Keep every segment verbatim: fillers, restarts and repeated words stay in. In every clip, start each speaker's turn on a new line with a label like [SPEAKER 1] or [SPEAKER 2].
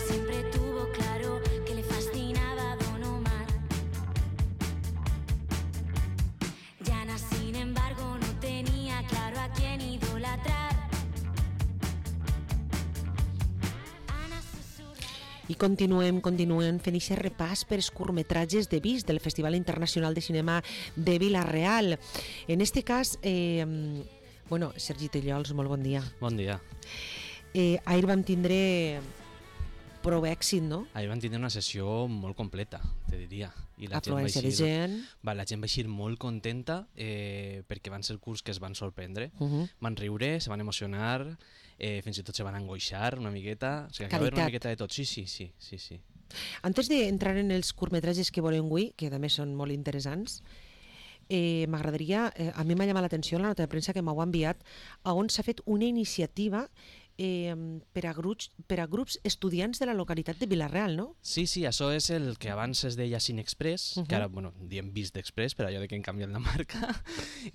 [SPEAKER 1] siempre tuvo claro que le fascinaba Don Omar. Yana, sin embargo, no tenía claro a quién idolatrar.
[SPEAKER 2] I continuem, continuem fent aquest repàs per els curtmetratges de Vis del Festival Internacional de Cinema de Vila-real. En este cas, eh, bueno, Sergi Tellols, molt bon dia.
[SPEAKER 3] Bon dia.
[SPEAKER 2] Eh, ahir vam tindre prou èxit, no?
[SPEAKER 3] Ahir vam tindre una sessió molt completa, te diria. I la
[SPEAKER 2] Afluència de gent.
[SPEAKER 3] Va, la gent va eixir molt contenta eh, perquè van ser curts que es van sorprendre.
[SPEAKER 2] Uh -huh.
[SPEAKER 3] Van riure, se van emocionar, eh, fins i tot se van angoixar una miqueta. O sigui, que va haver una miqueta de tot. Sí, sí, sí, sí, sí.
[SPEAKER 2] Antes d'entrar en els curtmetratges que veurem avui, que també són molt interessants, eh, m'agradaria, eh, a mi m'ha llamat l'atenció la nota de premsa que m'heu enviat, a on s'ha fet una iniciativa Eh, per, a grups, per a grups estudiants de la localitat de Vila-real, no?
[SPEAKER 3] Sí, sí, això és el que abans es deia Cinexpress, uh -huh. que ara, bueno, diem Vist d'Express, per allò de que han canviat la marca,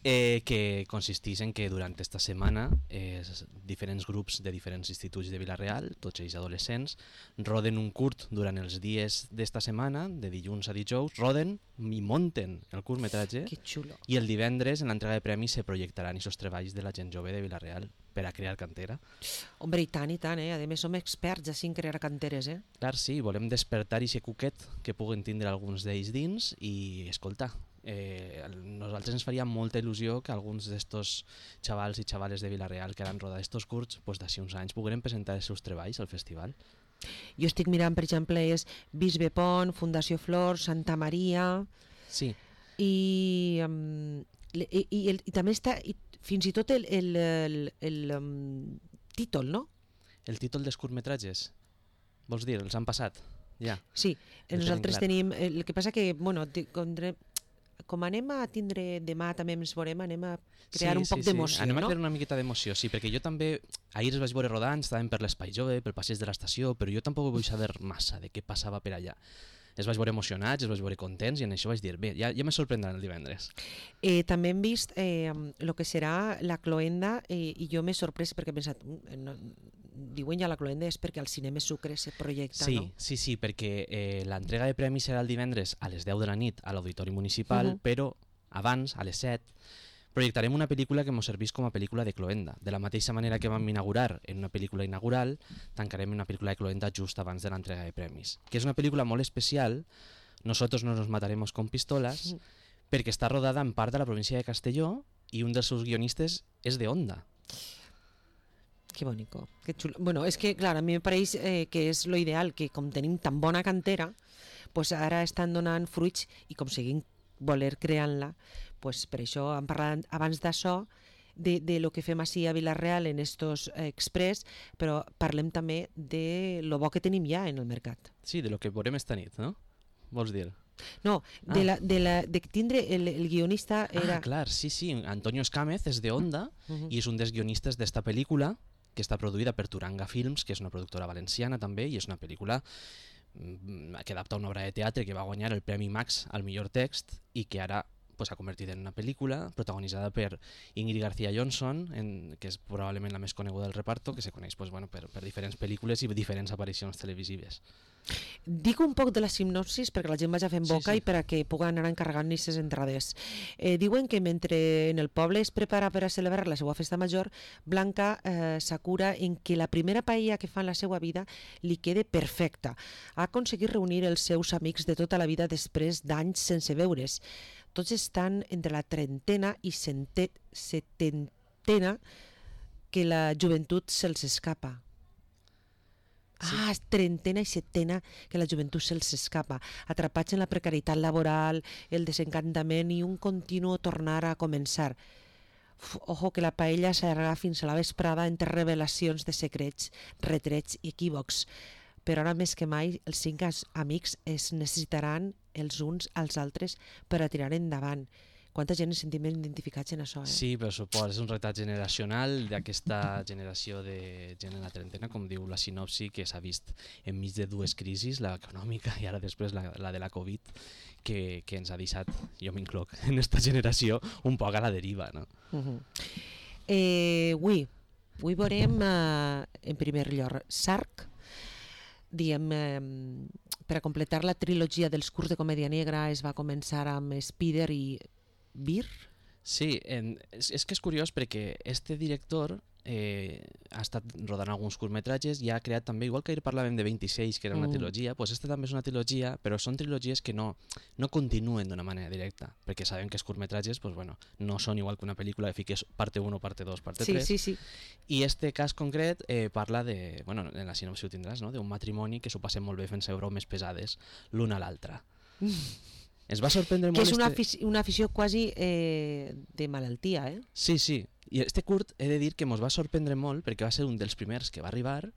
[SPEAKER 3] eh, que consisteix en que durant esta setmana eh, diferents grups de diferents instituts de Vila-real, tots ells adolescents, roden un curt durant els dies d'esta setmana, de dilluns a dijous, roden i monten el curtmetratge.
[SPEAKER 2] Que xulo.
[SPEAKER 3] I el divendres, en l'entrega de premis, se projectaran aquests treballs de la gent jove de Vila-real per a crear cantera.
[SPEAKER 2] Hombre, i tant, i tant, eh? A més, som experts així en crear canteres, eh?
[SPEAKER 3] Clar, sí, volem despertar aquest cuquet que puguen tindre alguns d'ells dins i, escolta, eh, nosaltres ens faria molta il·lusió que alguns d'estos xavals i xavales de Vila-real que han rodat estos curts, pues, d'ací uns anys pogueren presentar els seus treballs al festival.
[SPEAKER 2] Jo estic mirant, per exemple, és Bisbe Pont, Fundació Flor, Santa Maria...
[SPEAKER 3] Sí.
[SPEAKER 2] I, um, i, i, el, i també està... I, fins i tot el, el, el, el um, títol, no?
[SPEAKER 3] El títol dels curtmetratges? Vols dir, els han passat? Ja.
[SPEAKER 2] Sí, nosaltres tenim... El que passa que, bueno, com, com anem a tindre demà, també ens veurem, anem a crear
[SPEAKER 3] sí,
[SPEAKER 2] un poc
[SPEAKER 3] sí,
[SPEAKER 2] d'emoció,
[SPEAKER 3] sí. Anem
[SPEAKER 2] no?
[SPEAKER 3] a crear una miqueta d'emoció, sí, perquè jo també... Ahir els vaig veure rodant, estàvem per l'Espai Jove, pel passeig de l'estació, però jo tampoc vull saber massa de què passava per allà. Els vaig veure emocionats, els vaig veure contents i en això vaig dir, bé, ja, ja me sorprendran el divendres.
[SPEAKER 2] Eh, també hem vist el eh, que serà la cloenda eh, i jo m'he sorprès perquè he pensat, no, diuen ja la cloenda és perquè al Cinema Sucre se projecta,
[SPEAKER 3] sí,
[SPEAKER 2] no?
[SPEAKER 3] Sí, sí, perquè eh, l'entrega de premis serà el divendres a les deu de la nit a l'Auditori Municipal, uh -huh. però abans, a les set, projectarem una pel·lícula que ens serveix com a pel·lícula de cloenda. De la mateixa manera que vam inaugurar en una pel·lícula inaugural, tancarem una pel·lícula de cloenda just abans de l'entrega de premis. Que és una pel·lícula molt especial, Nosotros no nos mataremos con pistolas, perquè està rodada en part de la província de Castelló i un dels seus guionistes és de Onda.
[SPEAKER 2] Que bonico, que xulo. Bueno, és que, clar, a mi me pareix eh, que és lo ideal, que com tenim tan bona cantera, pues ara estan donant fruits i com seguim voler creant-la, pues per això hem parlat abans d'això, de, de lo que fem així a Vila-real en estos eh, express, però parlem també de lo bo que tenim ja en el mercat.
[SPEAKER 3] Sí, de lo que veurem esta nit, no? Vols dir?
[SPEAKER 2] No, de, ah. la, de, la, de tindre el, el guionista era...
[SPEAKER 3] Ah, clar, sí, sí, Antonio Escámez és de Onda uh -huh. i és un dels guionistes d'esta pel·lícula que està produïda per Turanga Films, que és una productora valenciana també, i és una pel·lícula que adapta una obra de teatre que va guanyar el Premi Max al millor text i que ara pues, s'ha convertit en una pel·lícula protagonitzada per Ingrid García Johnson, en, que és probablement la més coneguda del reparto, que se coneix pues, bueno, per, per diferents pel·lícules i diferents aparicions televisives.
[SPEAKER 2] Dic un poc de la sinopsis perquè la gent vagi fent boca sí, sí. i per a que puguen anar encarregant aquestes entrades. Eh, diuen que mentre en el poble es prepara per a celebrar la seva festa major, Blanca eh, s'acura en que la primera paella que fa en la seva vida li quede perfecta. Ha aconseguit reunir els seus amics de tota la vida després d'anys sense veure's. Tots estan entre la trentena i setentena que la joventut se'ls escapa. Sí. Ah, trentena i setena que la joventut se'ls escapa, atrapats en la precarietat laboral, el desencantament i un continu tornar a començar. Uf, ojo que la paella s'allarga fins a la vesprada entre revelacions de secrets, retrets i equívocs. Però ara més que mai els cinc amics es necessitaran els uns als altres per a tirar endavant. Quanta gent ens sentim identificats en això, eh?
[SPEAKER 3] Sí, per supost, és un retrat generacional d'aquesta generació de gent en la trentena, com diu la sinopsi, que s'ha vist enmig de dues crisis, l'econòmica i ara després la, la de la Covid, que, que ens ha deixat, jo m'incloc, en aquesta generació un poc a la deriva, no?
[SPEAKER 2] Uh-huh. eh, avui, avui veurem eh, en primer lloc Sarc, diem, eh, per a completar la trilogia dels curts de comèdia negra es va començar amb Spider i Beer.
[SPEAKER 3] Sí, en, és, és que és curiós perquè este director eh, ha estat rodant alguns curtmetratges i ha creat també, igual que ahir parlàvem de vint-i-sis, que era una
[SPEAKER 2] Mm.
[SPEAKER 3] trilogia, pues este també és una trilogia, però són trilogies que no, no continuen d'una manera directa, perquè sabem que els curtmetratges pues, bueno, no són igual que una pel·lícula que fiques parte uno, parte dos, parte
[SPEAKER 2] Sí,
[SPEAKER 3] tres,
[SPEAKER 2] sí, sí.
[SPEAKER 3] i este cas concret eh, parla de, bueno, en la sinopsi ho tindràs, no? d'un matrimoni que s'ho passen molt bé fent-se bromes pesades l'un a l'altre. Ens va sorprendre
[SPEAKER 2] Que
[SPEAKER 3] molt...
[SPEAKER 2] és una,
[SPEAKER 3] este...
[SPEAKER 2] afici una afició quasi eh, de malaltia, eh?
[SPEAKER 3] Sí, sí. I este curt he de dir que ens va sorprendre molt perquè va ser un dels primers que va arribar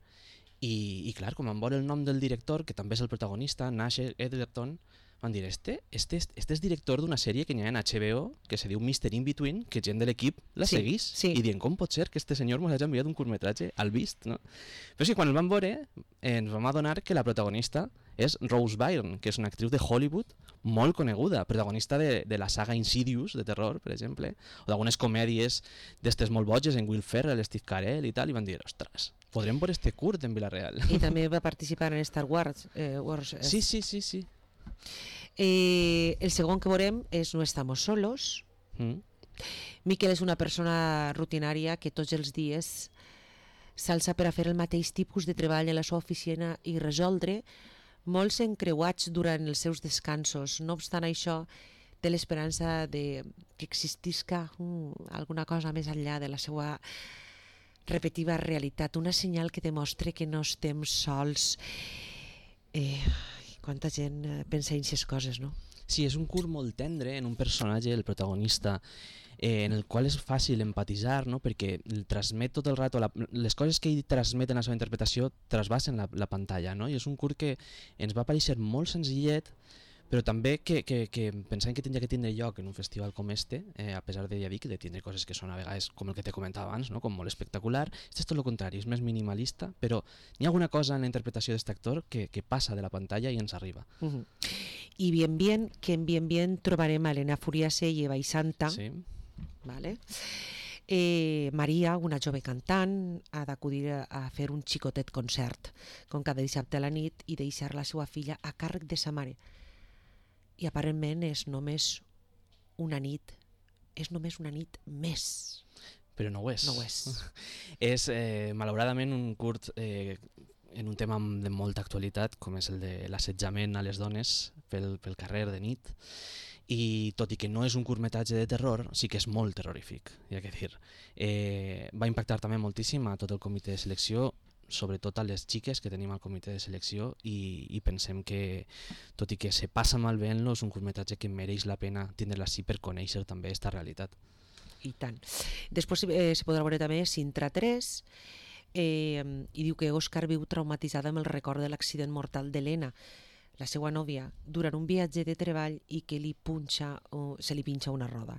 [SPEAKER 3] i, i clar, com em veure el nom del director, que també és el protagonista, Nash Edgerton, van dir, este, este, este és director d'una sèrie que hi ha en H B O que se diu mister In-Between, que gent de l'equip la
[SPEAKER 2] Sí,
[SPEAKER 3] seguís.
[SPEAKER 2] sí.
[SPEAKER 3] I dient, com pot ser que este senyor ens hagi enviat un curtmetratge al vist? No? Però sí, quan el vam veure eh, ens vam adonar que la protagonista és Rose Byrne, que és una actriu de Hollywood molt coneguda, protagonista de, de la saga Insidious, de terror, per exemple, o d'algunes comèdies d'estes molt boges, en Will Ferrell, Steve Carell i tal, i van dir, ostres, podrem veure este curt en Villarreal.
[SPEAKER 2] I també va participar en Star Wars. Eh, Wars eh.
[SPEAKER 3] Sí, sí, sí, sí.
[SPEAKER 2] Eh, el segon que veurem és No estamos solos.
[SPEAKER 3] Mm.
[SPEAKER 2] Miquel és una persona rutinària que tots els dies s'alça per a fer el mateix tipus de treball en la seva oficina i resoldre molts encreuats durant els seus descansos. No obstant això, té l'esperança de que existisca mm, alguna cosa més enllà de la seva repetitiva realitat, una senyal que demostra que no estem sols. Eh, quanta gent eh, pensa en aquestes coses, no?
[SPEAKER 3] Sí, és un curt molt tendre en un personatge, el protagonista, eh, en el qual és fàcil empatitzar, no? Perquè el transmet tot el rato, la, les coses que ell transmet en la seva interpretació trasbassen la, la pantalla, no? I és un curt que ens va aparèixer molt senzillet, però també que, que, que pensàvem que tindria que tindre lloc en un festival com este, eh, a pesar de, ja dic, de tindre coses que són a vegades, com el que te comentava abans, no? Com molt espectacular. Este és tot el contrari, és més minimalista, però hi ha alguna cosa en la interpretació d'aquest actor que, que passa de la pantalla i ens arriba.
[SPEAKER 2] Uh -huh. I bien bien, que en bien bien trobarem a Elena Furiase i Eva i Santa,
[SPEAKER 3] Sí.
[SPEAKER 2] ¿vale? Eh, Maria, una jove cantant, ha d'acudir a, a fer un xicotet concert, com cada dissabte a la nit, i deixar la seva filla a càrrec de sa mare. I aparentment és només una nit, és només una nit més.
[SPEAKER 3] Però no ho és.
[SPEAKER 2] No ho és.
[SPEAKER 3] És, eh, malauradament, un curt eh, en un tema de molta actualitat, com és el de l'assetjament a les dones pel, pel carrer de nit, i tot i que no és un curtmetratge de terror, sí que és molt terrorífic, hi ha que dir. Eh, va impactar també moltíssim a tot el comitè de selecció, sobretot a les xiques que tenim al comitè de selecció, i, i pensem que, tot i que se passa mal veient-lo, és un curtmetratge que mereix la pena tindre-la així per conèixer també aquesta realitat.
[SPEAKER 2] I tant. Després eh, se podrà veure també Sintra tres, eh, i diu que Òscar viu traumatitzada amb el record de l'accident mortal d'Helena, la seva nòvia, durant un viatge de treball i que li punxa, o, se li pinxa una roda.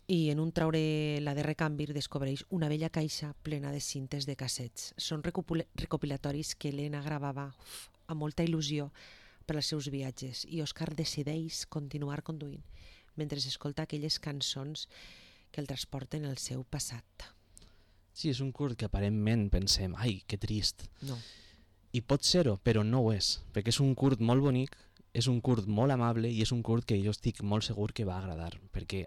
[SPEAKER 2] I en un traure la de recanvi descobreix una vella caixa plena de cintes de cassets. Són recopilatoris que Helena gravava uf, amb molta il·lusió per als seus viatges, i Òscar decideix continuar conduint mentre escolta aquelles cançons que el transporten al seu passat.
[SPEAKER 3] Sí, és un curt que aparentment pensem, ai, que trist.
[SPEAKER 2] No.
[SPEAKER 3] I pot ser-ho, però no ho és, perquè és un curt molt bonic, és un curt molt amable i és un curt que jo estic molt segur que va agradar, perquè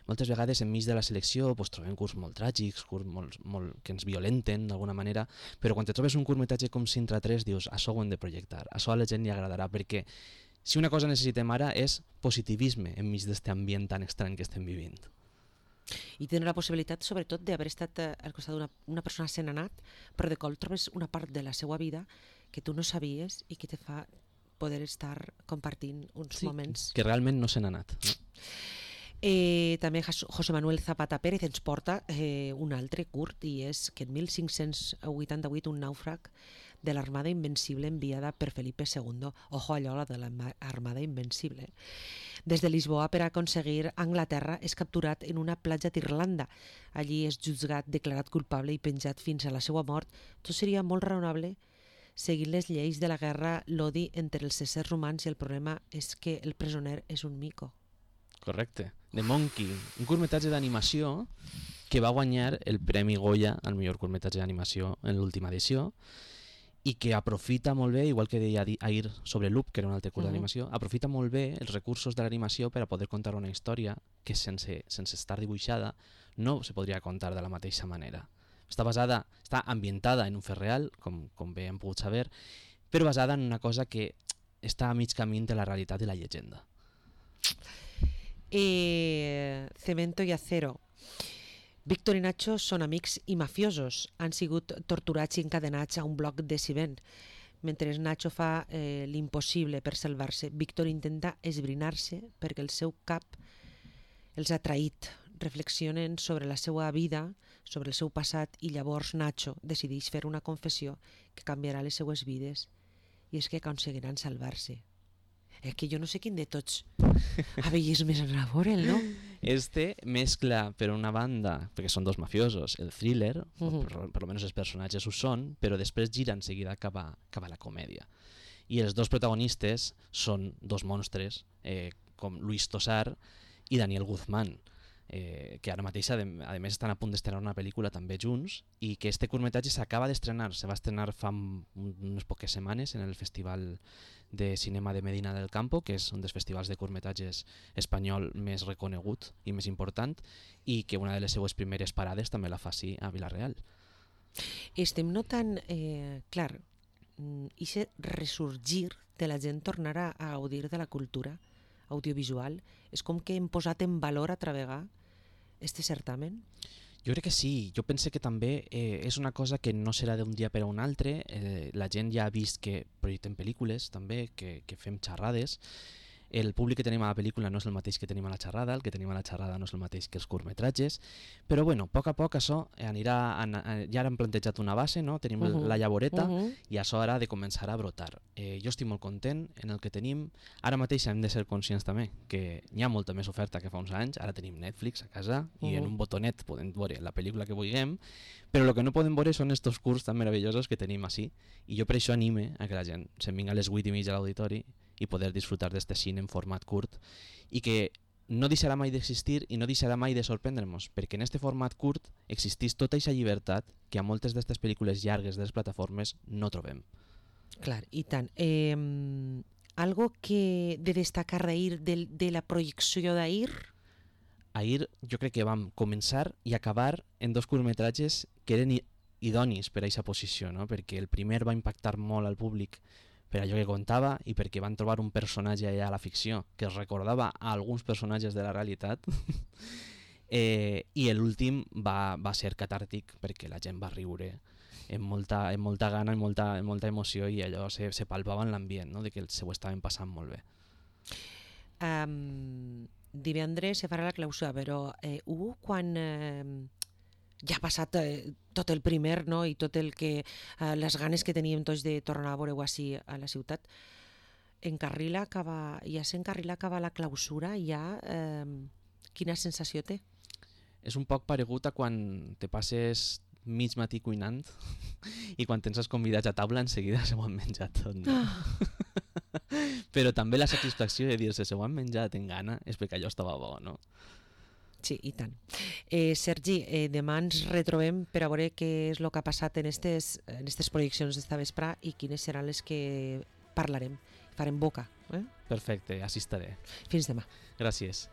[SPEAKER 3] moltes vegades enmig de la selecció pues, trobem curts molt tràgics, curts molt, molt, que ens violenten d'alguna manera, però quan te trobes un curtmetratge com Sintra tres dius, això ho hem de projectar, això a la gent li agradarà, perquè si una cosa necessitem ara és positivisme enmig d'aquest ambient tan estrany que estem vivint.
[SPEAKER 2] I tenen la possibilitat, sobretot, d'haver estat eh, al costat d'una una persona sent anat, però de cop trobes una part de la seva vida que tu no sabies i que te fa poder estar compartint uns
[SPEAKER 3] Sí,
[SPEAKER 2] moments.
[SPEAKER 3] que realment no se n'ha anat. No?
[SPEAKER 2] Eh, també José Manuel Zapata Pérez ens porta eh, un altre curt, i és que en mil cinc-cents vuitanta-vuit un nàufrag de l'Armada Invencible enviada per Felipe segundo, ojo allò, la de l'Armada Invencible, des de Lisboa per aconseguir Anglaterra, és capturat en una platja d'Irlanda. Allí és jutjat, declarat culpable i penjat fins a la seva mort. Tot seria molt raonable seguint les lleis de la guerra, l'odi entre els éssers humans, i el problema és que el presoner és un mico.
[SPEAKER 3] Correcte. The Monkey, un curtmetratge d'animació que va guanyar el Premi Goya al millor curtmetratge d'animació en l'última edició, i que aprofita molt bé, igual que deia di- ahir sobre Loop, que era un altre curs
[SPEAKER 2] Mhm.
[SPEAKER 3] d'animació, aprofita molt bé els recursos de l'animació per a poder contar una història que sense, sense estar dibuixada no se podria contar de la mateixa manera. Està basada, està ambientada en un fet real, com, com bé hem pogut saber, però basada en una cosa que està a mig camí de la realitat i la llegenda.
[SPEAKER 2] Eh, Cemento i Acero. Víctor i Nacho són amics i mafiosos. Han sigut torturats i encadenats a un bloc de ciment. Mentre Nacho fa eh, l'impossible per salvar-se, Víctor intenta esbrinar-se perquè el seu cap els ha traït. Reflexionen sobre la seva vida, sobre el seu passat, i llavors Nacho decideix fer una confessió que canviarà les seues vides, i és que aconseguiran salvar-se. És que jo no sé quin de tots avellismes anar a veure'l, no?
[SPEAKER 3] Este mescla, per una banda, perquè són dos mafiosos, el thriller, uh
[SPEAKER 2] Mhm.
[SPEAKER 3] -huh. per, per almenys els personatges ho són, però després gira en seguida cap a, cap a la comèdia. I els dos protagonistes són dos monstres, eh, com Luis Tosar i Daniel Guzmán, eh, que ara mateix, a, a més, estan a punt d'estrenar una pel·lícula també junts, i que este curtmetratge s'acaba d'estrenar, se va estrenar fa un- unes poques setmanes en el Festival de Cinema de Medina del Campo, que és un dels festivals de curtmetratges espanyol més reconegut i més important, i que una de les seues primeres parades també la fa sí a Vila-real.
[SPEAKER 2] Estem notant, eh, clar, i se ressorgir de la gent tornar a, a gaudir de la cultura audiovisual. És com que hem posat en valor altra vegada este certamen.
[SPEAKER 3] Jo crec que sí, jo pense que també eh, és una cosa que no serà d'un dia per a un altre, eh, la gent ja ha vist que projectem pel·lícules també, que, que fem xerrades, el públic que tenim a la pel·lícula no és el mateix que tenim a la xerrada, el que tenim a la xerrada no és el mateix que els curtmetratges, però bueno, a poc a poc això anirà, an, an, ja hem plantejat una base, no? Tenim uh -huh. la llavoreta, uh -huh. i això ara ha de començar a brotar. Eh, jo estic molt content en el que tenim, ara mateix hem de ser conscients també que hi ha molta més oferta que fa uns anys, ara tenim Netflix a casa i uh -huh. en un botonet podem veure la pel·lícula que vulguem, però el que no podem veure són estos curts tan meravellosos que tenim així, i jo per això anime a que la gent se'n vinga a les vuit i mitja a l'auditori i poder disfrutar d'este cine en format curt, i que no deixarà mai d'existir i no deixarà mai de sorprendre-nos, perquè en este format curt existís tota aquesta llibertat que a moltes d'aquestes pel·lícules llargues de les plataformes no trobem.
[SPEAKER 2] Clar, i tant. Eh, algo que de destacar d'ahir, de, de la projecció d'ahir?
[SPEAKER 3] Ahir jo crec que vam començar i acabar en dos curtmetratges que eren i- idonis per a aquesta posició, no? Perquè el primer va impactar molt al públic per allò que contava i perquè van trobar un personatge allà a la ficció que es recordava a alguns personatges de la realitat eh, i l'últim va, va ser catàrtic perquè la gent va riure amb molta, amb molta gana, amb molta, amb molta emoció, i allò se, se palpava en l'ambient, no? De que se ho estaven passant molt bé.
[SPEAKER 2] Um, divendres se farà la clausura, però eh, Hugo, quan eh, ja ha passat eh, tot el primer, no? I tot el que eh, les ganes que teníem tots de tornar a veure-ho així a la ciutat, encarrila acaba, ja s'encarrila acaba la clausura, ja eh, quina sensació té?
[SPEAKER 3] És un poc paregut a quan te passes mig matí cuinant i quan tens els convidats a taula enseguida se ho han menjat tot, no?
[SPEAKER 2] Ah.
[SPEAKER 3] Però també la satisfacció de dir-se se ho han menjat en gana és perquè allò estava bo, no?
[SPEAKER 2] Sí, i tant. Eh, Sergi, eh, demà ens retrobem per a veure què és el que ha passat en aquestes en estes projeccions d'esta vesprà i quines seran les que parlarem. Farem boca. Eh?
[SPEAKER 3] Perfecte, així estaré.
[SPEAKER 2] Fins demà.
[SPEAKER 3] Gràcies.